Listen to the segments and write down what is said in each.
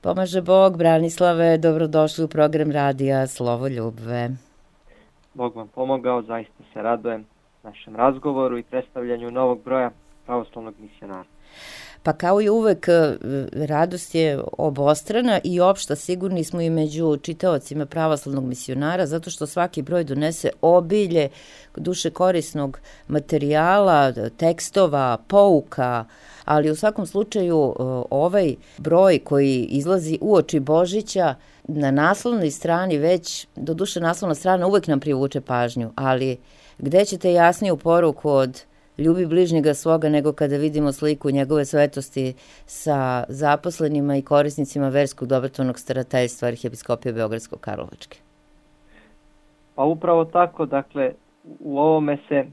Pomaže Bog, Branislave, dobrodošli u program radija Slovo Ljubve. Bog vam pomogao, zaista se radujem našem razgovoru i predstavljanju novog broja pravoslavnog misionara. Pa kao i uvek, radost je obostrana i opšta, sigurni smo i među čitaocima pravoslavnog misionara, zato što svaki broj donese obilje duše korisnog materijala, tekstova, pouka, ali u svakom slučaju ovaj broj koji izlazi uoči Božića na naslovnoj strani već, do duše naslovna strana uvek nam privuče pažnju, ali gde ćete jasniju poruku od ljubi bližnjega svoga nego kada vidimo sliku njegove svetosti sa zaposlenima i korisnicima verskog dobrotvornog starateljstva Arhiepiskopije Beogradsko-Karlovačke? Pa upravo tako, dakle, u ovome se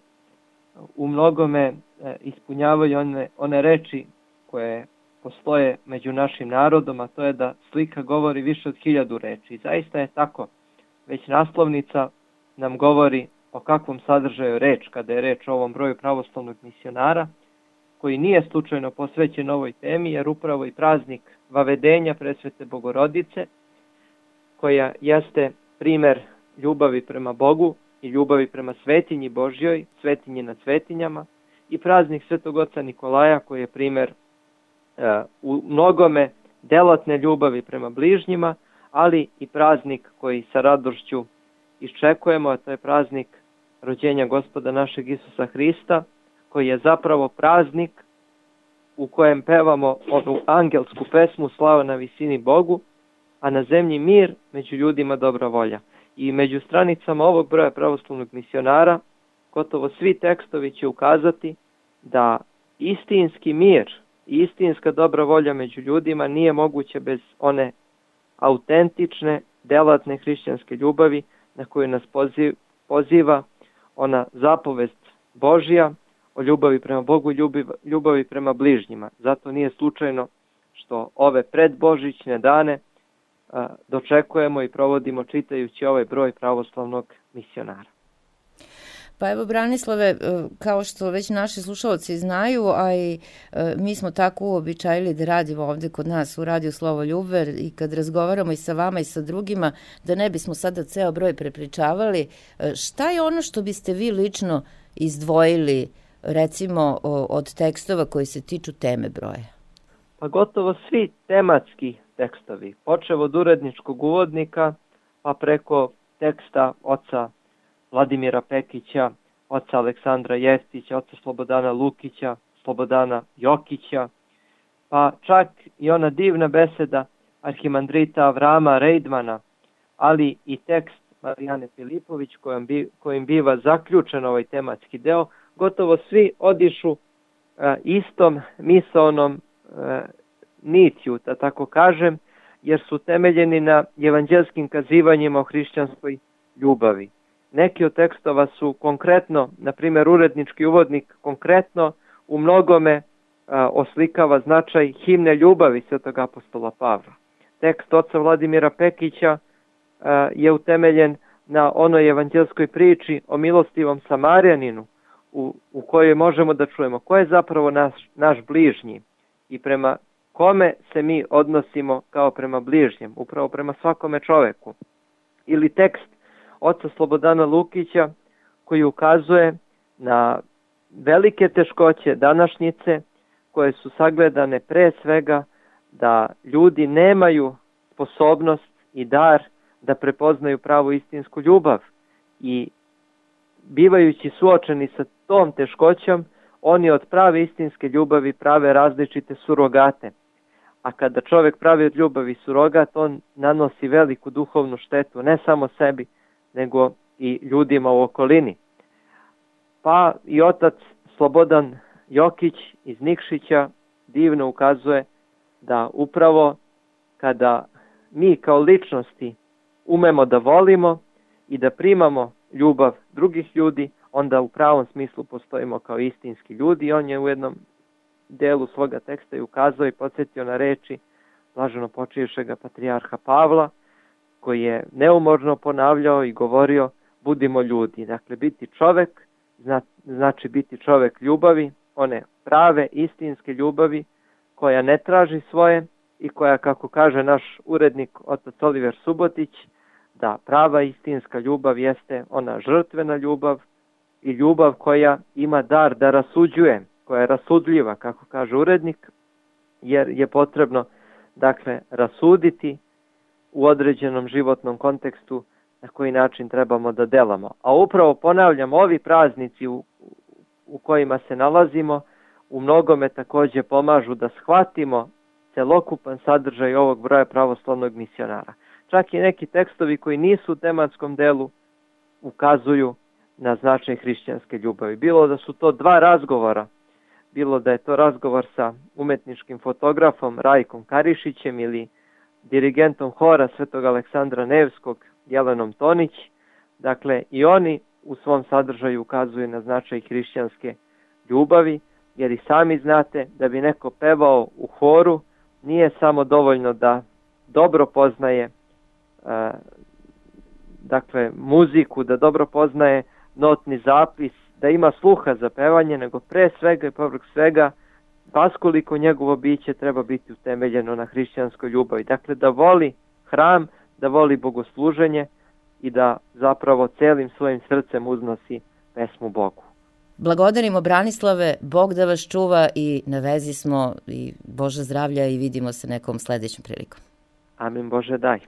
u mnogome ispunjavaju one reči koje postoje među našim narodom, a to je da slika govori više od 1000 reči. I zaista je tako. Već naslovnica nam govori o kakvom sadržaju reč, kada je reč o ovom broju pravoslavnog misionara, koji nije slučajno posvećen ovoj temi, jer upravo i praznik Vavedenja Presvete Bogorodice, koja jeste primer ljubavi prema Bogu i ljubavi prema svetinji Božjoj, svetinji nad svetinjama, i praznik Svetog Oca Nikolaja, koji je primer u mnogome delatne ljubavi prema bližnjima, ali i praznik koji sa radošću iščekujemo, a to je praznik rođenja Gospoda našeg Isusa Hrista, koji je zapravo praznik u kojem pevamo onu angelsku pesmu Slava na visini Bogu, a na zemlji mir, među ljudima dobra volja. I među stranicama ovog broja pravoslavnog misionara gotovo svi tekstovi će ukazati da istinski mir i istinska dobra volja među ljudima nije moguće bez one autentične, delatne hrišćanske ljubavi na koju nas poziva ona zapovest Božja o ljubavi prema Bogu i ljubavi prema bližnjima. Zato nije slučajno što ove predbožićne dane dočekujemo i provodimo čitajući ovaj broj pravoslavnog misionara. Pa evo, Branislave, kao što već naši slušalci znaju, a i mi smo tako uobičajili da radimo ovde kod nas u radiju Slovo Ljubve i kad razgovaramo i sa vama i sa drugima, da ne bismo sada ceo broj prepričavali, šta je ono što biste vi lično izdvojili, recimo, od tekstova koji se tiču teme broja? Pa gotovo svi tematski tekstovi, počev od uredničkog uvodnika, pa preko teksta oca Vladimira Pekića, oca Aleksandra Jeftića, oca Slobodana Lukića, Slobodana Jokića, pa čak i ona divna beseda arhimandrita Avrama Rejdmana, ali i tekst Marijane Filipović kojim biva zaključen ovaj tematski deo, gotovo svi odišu istom misaonom nitju, da tako kažem, jer su temeljeni na evanđelskim kazivanjima o hrišćanskoj ljubavi. Neki od tekstova su konkretno, na primjer urednički uvodnik konkretno u mnogome oslikava značaj himne ljubavi Svetog apostola Pavla. Tekst oca Vladimira Pekića je utemeljen na onoj evanđelskoj priči o milostivom Samarjaninu u kojoj možemo da čujemo ko je zapravo naš bližnji i prema kome se mi odnosimo kao prema bližnjem, upravo prema svakome čoveku. Ili tekst oca Slobodana Lukića koji ukazuje na velike teškoće današnjice koje su sagledane pre svega da ljudi nemaju sposobnost i dar da prepoznaju pravu istinsku ljubav i bivajući suočeni sa tom teškoćom, oni od prave istinske ljubavi prave različite surogate. A kada čovjek pravi od ljubavi surogat, on nanosi veliku duhovnu štetu, ne samo sebi, nego i ljudima u okolini. Pa i otac Slobodan Jokić iz Nikšića divno ukazuje da upravo kada mi kao ličnosti umemo da volimo i da primamo ljubav drugih ljudi, onda u pravom smislu postojimo kao istinski ljudi. On je u jednom delu svoga teksta i ukazao i podsjetio na reči blaženo počivšega patrijarha Pavla, koji je neumorno ponavljao i govorio budimo ljudi. Dakle, biti čovek znači biti čovek ljubavi, one prave, istinske ljubavi, koja ne traži svoje i koja, kako kaže naš urednik otac Oliver Subotić, da prava istinska ljubav jeste ona žrtvena ljubav i ljubav koja ima dar da rasuđuje, koja je rasudljiva, kako kaže urednik, jer je potrebno, dakle, rasuditi u određenom životnom kontekstu na koji način trebamo da delamo. A upravo, ponavljam, ovi praznici u kojima se nalazimo u mnogome takođe pomažu da shvatimo celokupan sadržaj ovog broja pravoslavnog misionara. Čak i neki tekstovi koji nisu u tematskom delu ukazuju na značaj hrišćanske ljubavi. Bilo da su to dva razgovora, bilo da je to razgovor sa umetničkim fotografom Rajkom Karišićem ili dirigentom hora Svetog Aleksandra Nevskog Jelenom Tonić, dakle i oni u svom sadržaju ukazuju na značaj hrišćanske ljubavi, jer i sami znate da bi neko pevao u horu nije samo dovoljno da dobro poznaje dakle muziku, da dobro poznaje notni zapis, da ima sluha za pevanje, nego pre svega i povrh svega vaskoliko njegovo biće treba biti utemeljeno na hrišćanskoj ljubavi. Dakle, da voli hram, da voli bogosluženje i da zapravo celim svojim srcem uznosi pesmu Bogu. Blagodarimo Branislave, Bog da vas čuva i na vezi smo i Bože zdravlja i vidimo se nekom sledećom prilikom. Amin, Bože daj.